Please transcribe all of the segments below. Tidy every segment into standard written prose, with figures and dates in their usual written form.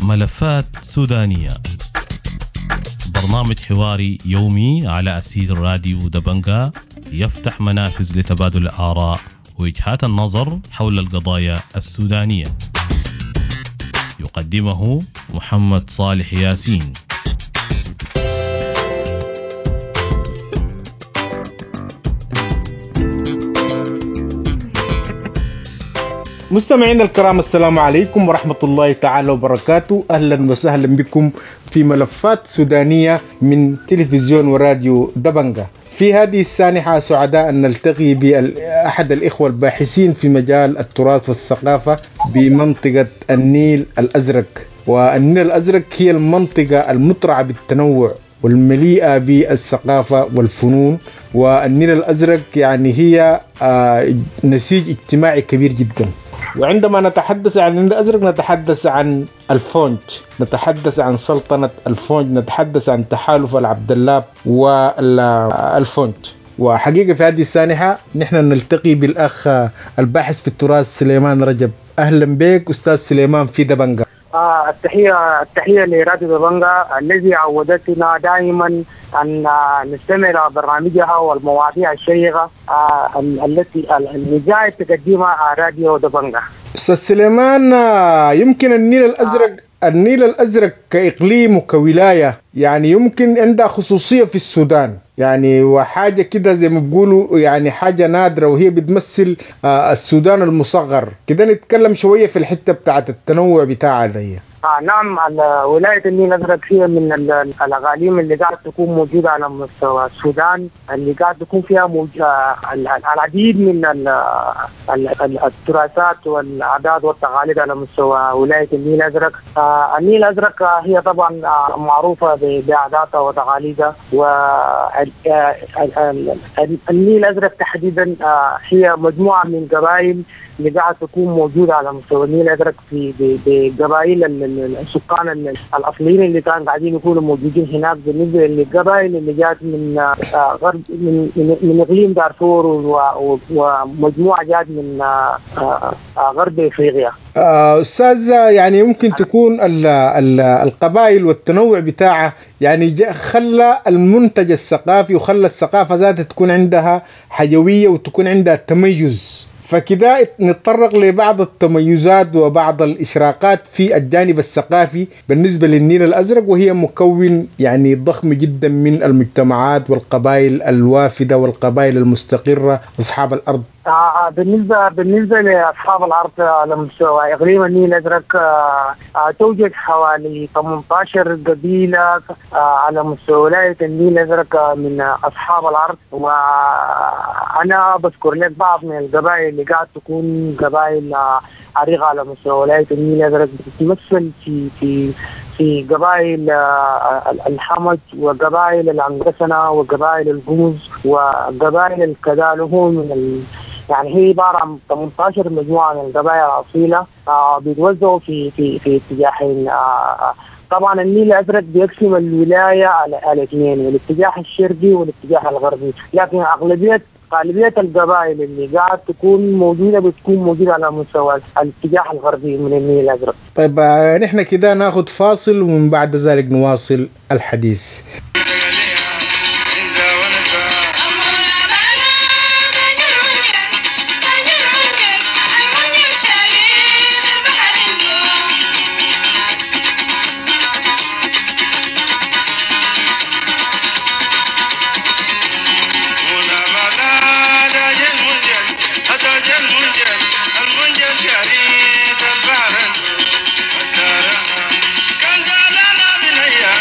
ملفات سودانية، برنامج حواري يومي على أسير راديو دبنجا، يفتح منافذ لتبادل الآراء ووجهات النظر حول القضايا السودانية. يقدمه محمد صالح ياسين. مستمعينا الكرام، السلام عليكم ورحمة الله تعالى وبركاته. أهلا وسهلا بكم في ملفات سودانية من تلفزيون وراديو دبنجا. في هذه السانحة سعداء أن نلتقي بأحد الإخوة الباحثين في مجال التراث والثقافة بمنطقة النيل الأزرق. والنيل الأزرق هي المنطقة المترعة بالتنوع والمليئة بالثقافة والفنون، والنيل الأزرق يعني هي نسيج اجتماعي كبير جدا. وعندما نتحدث عن النيل الأزرق نتحدث عن الفونج، نتحدث عن سلطنة الفونج، نتحدث عن تحالف العبدلاب والفونج. وحقيقة في هذه السانحة نحن نلتقي بالأخ الباحث في التراث سليمان رجب. أهلا بك أستاذ سليمان في دبنجا. التحية لراديو دبنجا الذي عودتنا دائما أن نستمع إلى برنامجها والمواضيع الشيقة التي اللي تقدمها راديو دبنجا. أستاذ سليمان، يمكن النيل الأزرق النيل الأزرق كإقليم وكولاية يعني يمكن عندها خصوصية في السودان، يعني وحاجة كده زي ما بيقولوا يعني حاجة نادرة، وهي بتمثل السودان المصغر كده. نتكلم شوية في الحتة بتاعت التنوع بتاعها دي. نعم، ولاية النيل الأزرق هي من الأقاليم اللي قاعد تكون موجودة على مستوى السودان، اللي قاعد تكون فيها العديد من التراثات والعادات والتقاليد على مستوى ولاية النيل الأزرق. النيل الأزرق هي طبعا معروفة بعاداتها وتقاليدها، والنيل الأزرق تحديدا هي مجموعة من قبائل اللي قاعد تكون موجودة على مستوى النيل الأزرق في بقبائل السكان الأصليين اللي كانوا قاعدين يكونوا موجودين هناك. بالنسبة للقبائل اللي جات من غرب من إقليم دارفور ومجموعة جات من غرب إفريقيا. أستاذ، يعني يمكن تكون القبائل والتنوع بتاعها يعني خلى المنتج الثقافي وخلى الثقافة ذاتها تكون عندها حيوية وتكون عندها تميز. فكذا نتطرق لبعض التميزات وبعض الإشراقات في الجانب الثقافي بالنسبة للنيل الأزرق، وهي مكون يعني ضخم جدا من المجتمعات والقبائل الوافدة والقبائل المستقرة أصحاب الأرض. بالنسبة لأصحاب الأرض على مستوى إقليم النيل الأزرق توجد حوالي 18 قبيلة على مستوى ولاية النيل الأزرق من أصحاب الأرض. وأنا بذكر لك بعض من القبائل اللي قاعد تكون قبائل عريقة على مستوى ولاية النيل الأزرق، بتتمثل في في في قبائل الحمج وقبائل العنقسنة وقبائل القمز وقبائل الكدالو. من يعني هي عبارة عن 18 مجموعة من القبائل الأصيلة بيتوزعوا في في في اتجاهين. طبعا النيل الأزرق بيقسم الولاية على اثنين، الاتجاه الشرقي والاتجاه الغربي، لكن غالبية القبائل اللي قاعد تكون موجودة بتكون موجودة على مستوى الاتجاه الغربي من النيل الأزرق. طيب، نحن كده ناخذ فاصل ومن بعد ذلك نواصل الحديث. كان زعلانة بنية.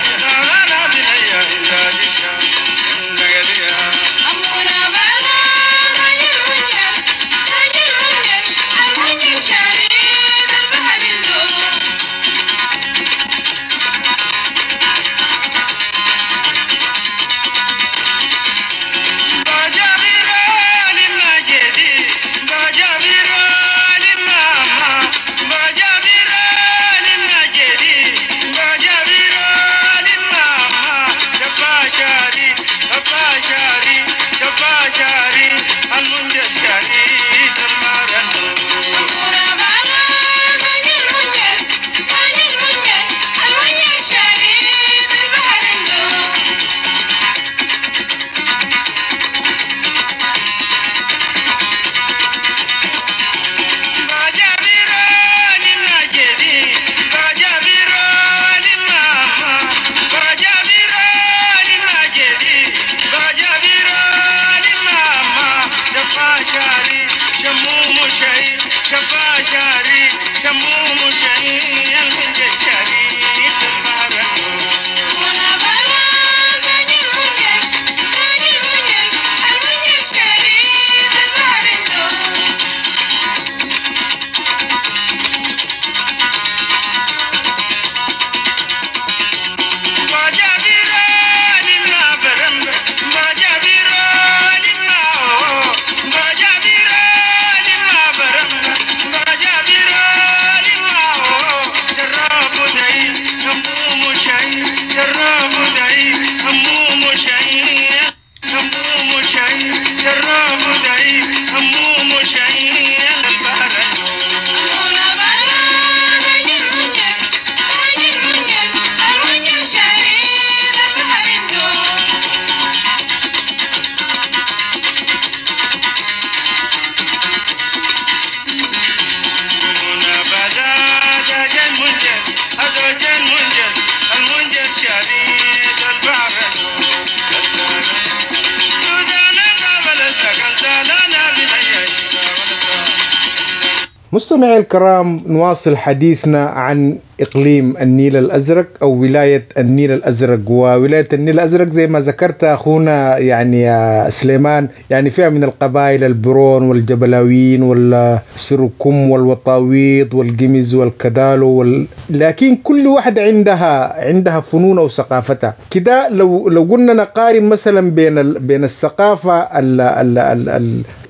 مستمعي الكرام، نواصل حديثنا عن إقليم النيل الأزرق أو ولاية النيل الأزرق. وولاية النيل الأزرق زي ما ذكرت أخونا يعني سليمان، يعني فيها من القبائل البرون والجبلاويين والسركم والوطاويط والقمز والكدالو لكن كل واحدة عندها فنونها وثقافتها كده. لو قلنا نقارن مثلا بين الثقافة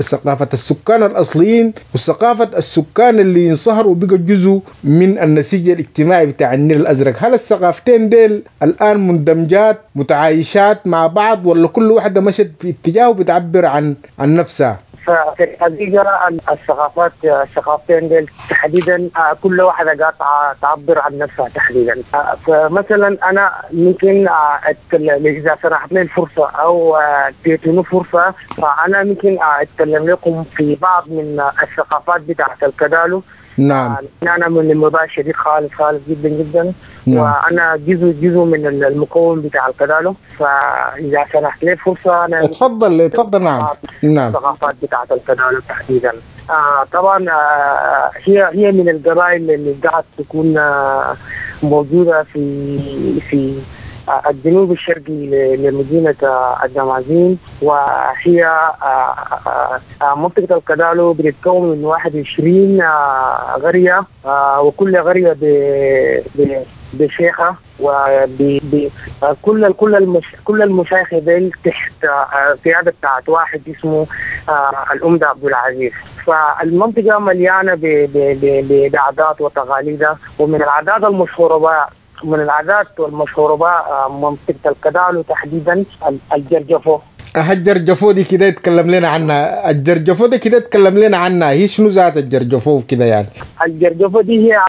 ثقافة السكان الأصليين وثقافة السكان اللي انصهروا وبقوا جزء من النسيج الاجتماعي بتاع النيل الأزرق، هل الثقافتين ديل الآن مندمجات متعايشات مع بعض، ولا كل واحدة مشت في اتجاه وبتعبر عن نفسها؟ ففي الحقيقة الثقافتين ديل تحديدا كل واحدة قاعدة تعبر عن نفسها تحديدا. فمثلا أنا ممكن أتكلم إذا سنحت لي الفرصة أو اديتوني فرصة، فأنا ممكن أتكلم لكم في بعض من الثقافات بتاعت الكدالو. نعم. أنا من المباشر شديد خالص خالص جدا جدا. نعم. وأنا جزء من المكون بتاع الكدالو، فإذا سنحت لي فرصة أنا اتفضل. نعم. نعم. الثقافات بتاعت الكدالو تحديدا. طبعا هي من القبائل اللي قاعد تكون موجودة في الجنوب الشرقي لمدينة الدمازين، وهي منطقة الكدالو بتتكون من 21 قرية، وكل قرية بشيخة، وكل كل المشايخ ديل تحت قيادة بتاعت واحد اسمه الأمدة عبد العزيز. فالمنطقة مليانة بعادات وتقاليدها، ومن العادات المشهورة منطقة الكدالو تحديدا الجرجفو. الجرجفو دي كده يتكلم لنا عنها، الجرجفو دي كده يتكلم لنا عنها، هي شنو ذات الجرجفو كده يعني؟ الجرجفو دي هي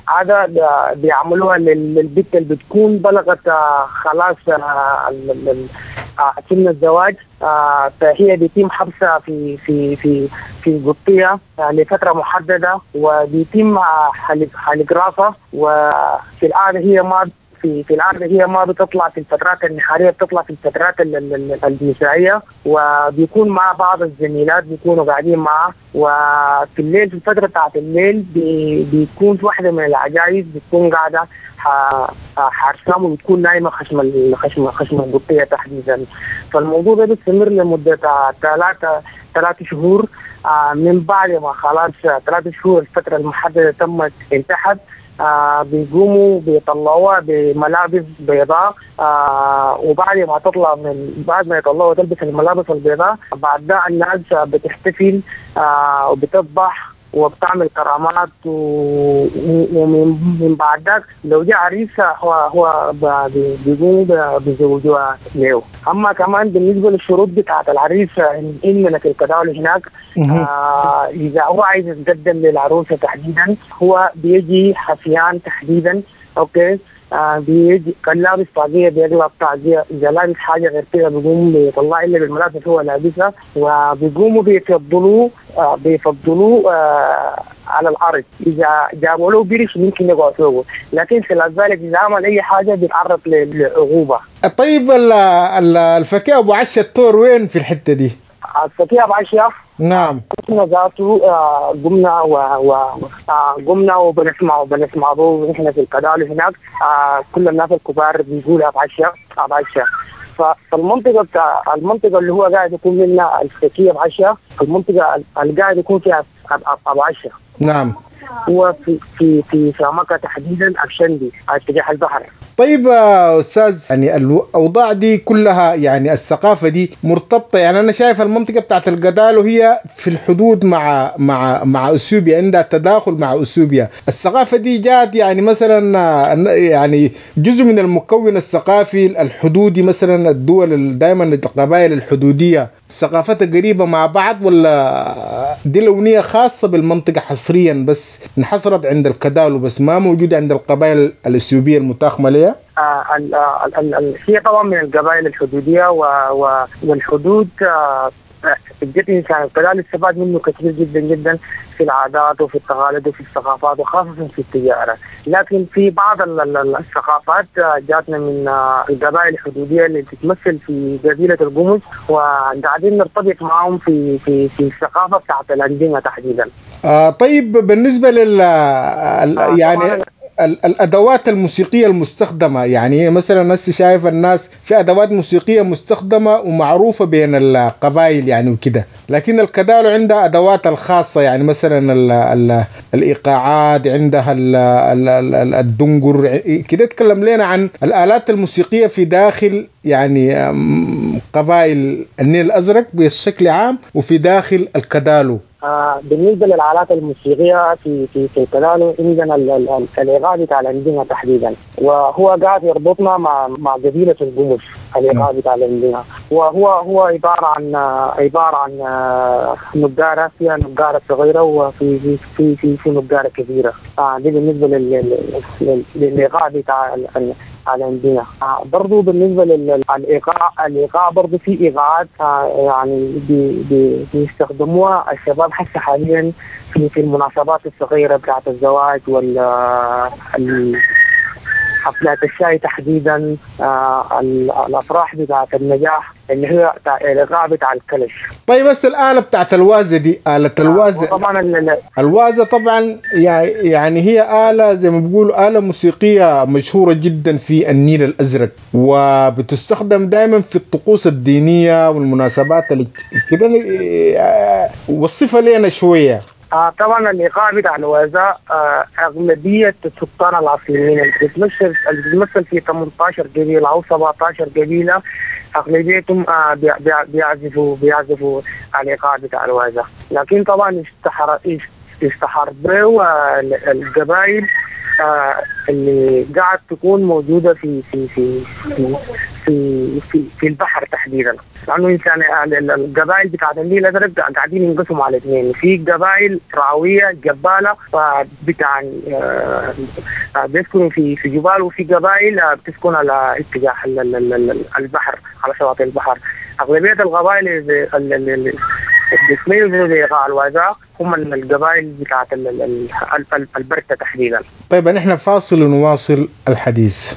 عادة بيعملوها للبنت اللي بتكون بلغت خلاص سن الزواج، فهي بيتم حبسها في في في في قطية لفترة محددة، وبيتم حلق راسها. وفي العادة هي ما في العادة هي ما بتطلع في الفترات النهارية، بتطلع في الفترات المسائية، وبيكون مع بعض الزميلات بيكونوا قاعدين معه. وفي الليل في الفترة بتاعت الليل بيكون في واحدة من العجائز بتكون قاعدة حارسام، وبتكون نايمة خشم القطية تحديدا. فالموضوع ده بيستمر لمدة 3 شهور. من بعد ما خلاص 3 شهور الفترة المحددة تمت انتهت، بيقوموا بيطلعوها بملابس بيضاء، وبعد ما تطلع من بعد ما يطلعوها تلبس الملابس البيضاء، بعد ده الناس بتحتفل وبتذبح وبتعمل كرامات، ومن بعد ذاك لو جاء عريس هو بيقوموا بيزوجوها له. اما كمان بالنسبه للشروط بتاعت العريس اننا في الكدالو هناك، اذا هو عايز يتقدم للعروسه تحديدا هو بيجي حفيان تحديدا، okay، بيجي كان لابس طاقيه بيقلب طاقيه، اذا لابس حاجه غير كده بيقوم بيطلع الا بالملابس هو لابسها، وبيقوموا بيفضلوه على الارض. اذا جابوا له برش ممكن يقعد فوقه، لكن خلال ذلك اذا عمل اي حاجه بيتعرض للعقوبه. طيب الفكيه ابو عشه التور وين في الحته دي؟ الفكيه ابو عشه نعم احنا ذاته قمنا قمنا وبنسمع به نحن في الكدالو هناك. كل الناس الكبار بيقولوا ابو عشه ابو عشه. فالمنطقه بتاع المنطقه اللي هو قاعد يكون منها الفكيه ابو عشه، المنطقه اللي قاعد يكون فيها ابو عشه. نعم. هو في في في سامكة تحديدا أبشندي على اتجاه البحر. طيب استاذ، يعني الاوضاع دي كلها يعني الثقافه دي مرتبطه، يعني انا شايف المنطقه بتاعت القدالو هي في الحدود مع مع مع اثيوبيا، عندها تداخل مع اثيوبيا. الثقافه دي جات يعني مثلا يعني جزء من المكون الثقافي الحدودي، مثلا الدول دائما القبائل الحدوديه ثقافتها قريبه مع بعض، ولا دي لونيه خاصه بالمنطقه حصريا بس انحصرت عند الكدالو بس ما موجوده عند القبائل الاثيوبيه المتاخمه لها؟ هي طبعا من القبائل الحدوديه، والحدود بجد انسان الكدالو استفاد منه كثير جدا جدا في العادات وفي التقاليد وفي الثقافات وخاصة في التجارة. لكن في بعض الثقافات جاتنا من القبائل الحدوديه اللي بتتمثل في قبيلة القمص، وقاعدين نرتبط معهم في في في الثقافة بتاعت الاندمه تحديدا. طيب بالنسبة لل يعني الادوات الموسيقية المستخدمة، يعني مثلا هسه شايف الناس في ادوات موسيقية مستخدمة ومعروفة بين القبائل يعني وكده، لكن الكدالو عندها ادوات الخاصة، يعني مثلا ال ال الايقاعات عندها ال ال الدنقر كده. تكلم لنا عن الالات الموسيقية في داخل يعني قبائل النيل الازرق بشكل عام وفي داخل الكدالو. بالنسبة للآلات الموسيقية في في في الكدالو عندنا الايقاع بتاع الاندمه تحديدا، وهو قاعد يربطنا مع قبيلة القمص. الايقاع بتاع الاندمه وهو عبارة عن نقاره، فيها نقاره صغيرة وفي في في في, في نقاره كبيرة. دي بالنسبة للايقاع بتاع الاندمه. برضو بالنسبة للايقاع، الايقاع برضو في ايقاعات يعني بيستخدموها الشباب حتى حاليا في المناسبات الصغيرة بتاعت الزواج وال حفلات الشاي تحديدا، الافراح بتاعت النجاح اللي هي الايقاع بتاع الكلش. طيب بس الآلة بتاعت الوازة دي، آلة الوازة طبعا الوازة طبعا يعني هي آلة زي ما بيقولوا آلة موسيقية مشهورة جدا في النيل الأزرق، وبتستخدم دائما في الطقوس الدينية والمناسبات اللي كده. وصفها لنا شوية. طبعا الايقاع بتاع الوازة اغلبية السكان الاصليين اللي بتتمثل في 18 قبيلة او 17 قبيلة، اغلبيتهم بيعزفوا الايقاع بتاع الوازة. لكن طبعا اشتهر به القبائل اللي قاعد تكون موجودة في في في في في في, في البحر تحديدا، لانه انسان القبائل بتاعت النيل الازرق قاعدين ينقسموا على اثنين، في قبائل رعويه جباله بتاع بيسكنوا في جبال، وفي قبائل بتسكن على اتجاه البحر، على شواطئ البحر. اغلبية القبائل اللي بيتميزوا بايقاع الوازا هم القبائل بتاعت البرتة تحديدا. طيب نحن فاصل ونواصل الحديث.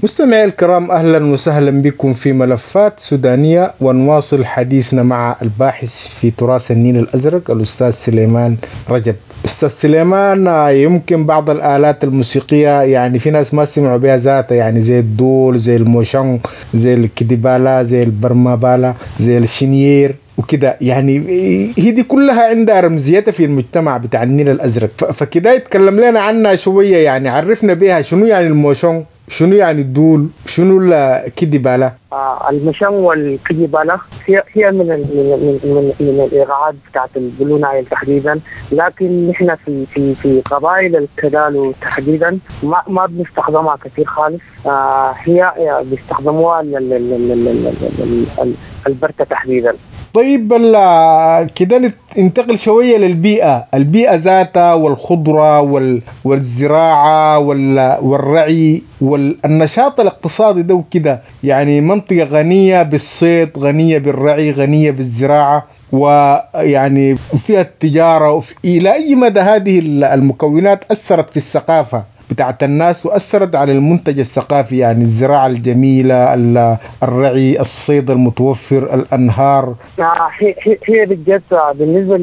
مستمعي الكرام، أهلا وسهلا بكم في ملفات سودانية، ونواصل حديثنا مع الباحث في تراث النيل الأزرق الأستاذ سليمان رجب. أستاذ سليمان، يمكن بعض الآلات الموسيقية يعني في ناس ما سمعوا بها ذاتها، يعني زي الدول، زي الموشون، زي الكديبالا، زي البرمابالا، زي الشنيير وكده، يعني هي دي كلها عندها رمزيتها في المجتمع بتاع النيل الأزرق. فكده يتكلم لنا عنها شوية، يعني عرفنا بها شنو يعني الموشون، شنو يعني الدول، شنو الكدبالة. المشن والكجبالة هي من من من من الايقاعات بتاعت البلو نايل تحديدا، لكن نحن في في في قبائل الكدالو تحديدا ما بنستخدمها كثير خالص. هي بيستخدموها البرتة تحديدا. طيب كده ننتقل شوية للبيئة، البيئة ذاتها والخضرة والزراعة والرعي والنشاط الاقتصادي ده وكده، يعني منطقة غنية بالصيد، غنية بالرعي، غنية بالزراعة، ويعني فيها التجارة. إلى أي مدى هذه المكونات أثرت في الثقافة بتاعت الناس وأثرت على المنتج الثقافي، يعني الزراعة الجميلة، الرعي، الصيد المتوفر، الأنهار؟ هي بالجد بالنسبة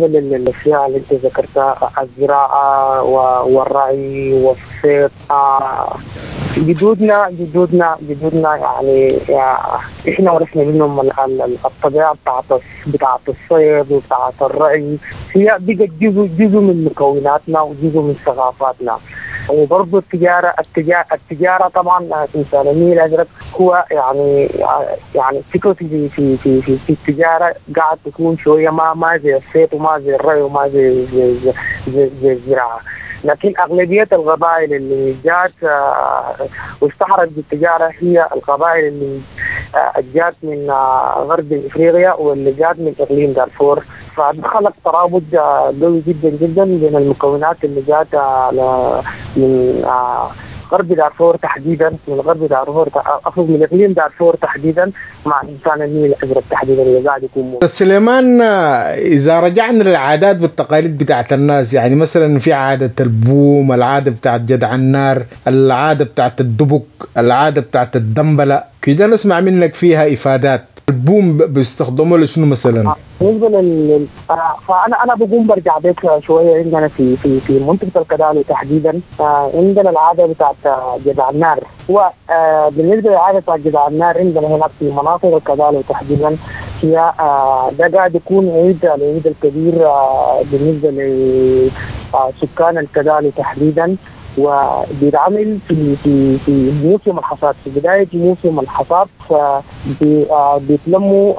للأشياء اللي أنت ذكرتها، الزراعة والرعي والصيد، جدودنا يعني إحنا ورثنا منهم الطبيعة بتاعت الصيد وبتاعت الرعي، هي بقت جزء من مكوناتنا وجزء من ثقافاتنا. وبرضه التجارة طبعا إنسان النيل الأزرق هو يعني فكرة في في في في, في التجارة قاعد تكون شوية ما زي الصيد وما زي الرعي وما زي زي زي, زي الزراعة، لكن أغلبية القبائل اللي جات واشتهرت بالتجارة هي القبائل اللي جات من غرب إفريقيا واللي جات من إقليم دارفور، فخلق ترابط قوي جدا جدا بين المكونات اللي جات من غرب دارفور تحديدا، من غرب دارفور أقصد من إقليم دارفور تحديدا مع إنسان النيل الأزرق تحديدا اللي قاعد يكون. سليمان، إذا رجعنا للعادات والتقاليد بتاعت الناس، يعني مثلا في عادة البوم، العادة بتاعت جدع النار، العادة بتاعت الدبك، العادة بتاعت الدنبلة، كده نسمع منك فيها إفادات. البوم بيستخدموه لشنو مثلا؟ بالنسبة فانا بقوم برجع بيك شوية. عندنا في في في منطقة الكدالو تحديدا عندنا العادة بتاعت جدع النار. وبالنسبة للعادة بتاعت جدع النار عندنا هناك في مناطق الكدالو تحديدا، هي ده قاعد يكون عيد، العيد الكبير بالنسبة لسكان الكدالو تحديدا، وبيتعمل في في في موسم الحصاد، في بداية موسم الحصاد. فبيتلموا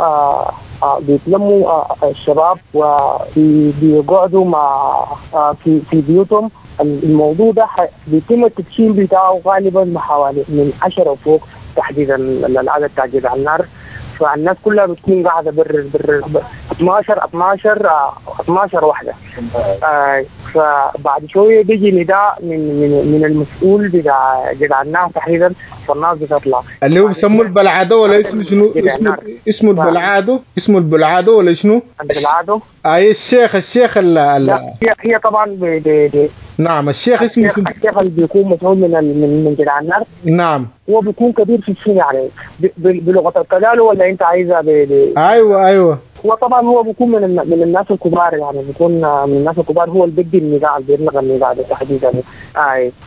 بيتلموا الشباب وبيقعدوا مع في بيوتهم. الموضوع ده بيتم التدشين بتاعه غالبا حوالي من 10 وفوق تحديدا العدد بتاع جدع النار. فالناس كلها بتكون قاعدة بر 12 واحدة. فبعد شوية بيجي نداء من من من المسؤول بتاع جدع النار تحديدا، فالناس بتطلع اللي هو بيسموه البلعادو ولا اسمه شنو؟ اسمه البلعادو، اسمه البلعادو ولا شنو؟ البلعادو. اي الشيخ هي طبعا نعم، الشيخ اسمه الشيخ اللي بيكون مسؤول من من جدع النار. نعم، هو بيكون كبير في السن، يعني بلغه الكدالو ولا انت عايزها ايوه هو طبعا هو بيكون من الناس الكبار، يعني بيكون من الناس الكبار، هو اللي بيدي النداء، اللي بيبلغ النداء تحديدا.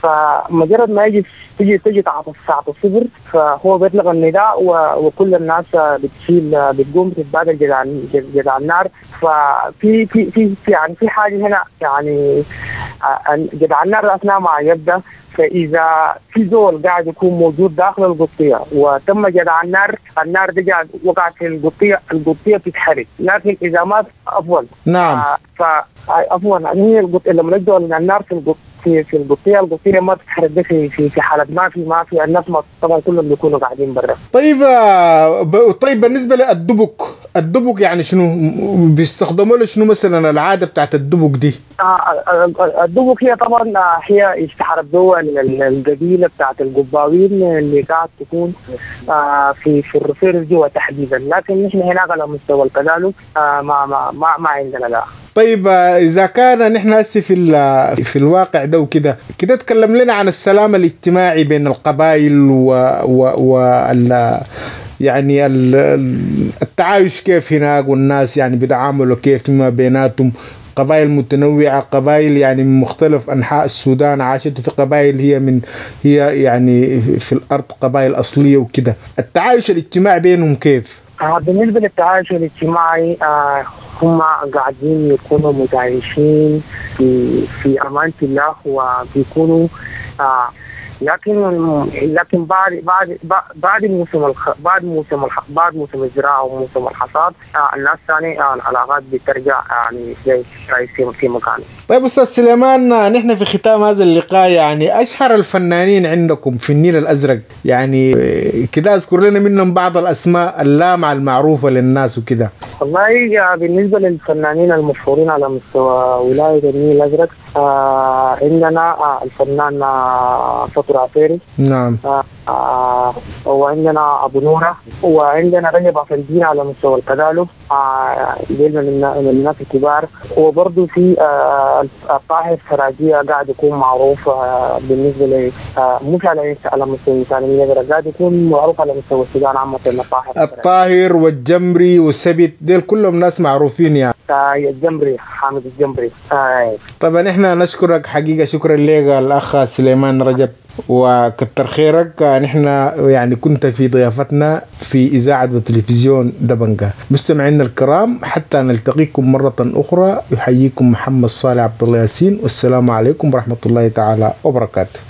فمجرد ما يجي تيجي الساعة 0 فهو بيطلق النداء وكل الناس بتشيل، بتقوم بتتبادل جدع النار. ففي في في يعني في حاجة هنا، يعني جدع النار اثناء ما يبدا، فإذا في زول قاعد يكون موجود داخل القطية وتم جدع النار، النار دي قاعد وقعت في القطية، القطية بتتحرق. لكن إذا ما أفضل، نعم، فأفضل يعني هي القطية لما نجدوا النار في القطية، القطية ما بتتحرق. ده في حالة ما في الناس، ما طبعا كلهم بيكونوا قاعدين برا. طيب بالنسبة للدبك، الدبك يعني شنو بيستخدموا له شنو مثلا العادة بتاعت الدبك دي؟ الدبك هي طبعا هي اشتهرت دول القبيلة بتاعت القباوين اللي قاعد تكون في الرفير جوا تحديدا، لكن نحن هناك على مستوى الكدالو ما ما ما ما عندنا لا. طيب إذا كان نحن هسه في الواقع ده وكده كده، تكلم لنا عن السلام الاجتماعي بين القبائل و يعني التعايش كيف هناك، والناس يعني بيتعاملوا كيف فيما بيناتهم، قبائل متنوعة، قبائل يعني من مختلف أنحاء السودان عاشت، في قبائل هي يعني في الأرض قبائل أصلية وكده، التعايش الاجتماعي بينهم كيف؟ بالنسبة للتعايش الاجتماعي، هم قاعدين يكونوا متعايشين في أمانة الله، وبيكونوا لكن بعد موسم بعد موسم بعد موسم الزراعة وموسم الحصاد الناس ثاني العلاقات بترجع يعني زي في مكانه. طيب استاذ سليمان، نحن في ختام هذا اللقاء يعني اشهر الفنانين عندكم في النيل الازرق، يعني كده اذكر لنا منهم بعض الاسماء اللامعه المعروفة للناس وكده. والله بالنسبة للفنانين المشهورين على مستوى ولاية النيل الازرق عندنا الفنان فطر عفيري. نعم. وعندنا ابو نوره، وعندنا رجب عفندين على مستوى الكدالو، من الناس الكبار. وبرضه في الطاهر سراجيه قاعد يكون معروف بالنسبة ل مش على مستوى النيل الازرق، قاعد يكون معروف على مستوى السودان عامة. الطاهر والجمري والسبت ديل كلهم ناس معروفين يعني. الجمري، حامد الجمري. طبعا احنا نشكرك حقيقة، شكرا لك الاخ سليمان رجب وكتر خيرك. نحن يعني كنت في ضيافتنا في إذاعة وتلفزيون دبنجة. مستمعينا الكرام، حتى نلتقيكم مرة أخرى، يحييكم محمد صالح عبد الله ياسين، والسلام عليكم ورحمة الله تعالى وبركاته.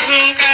Sun.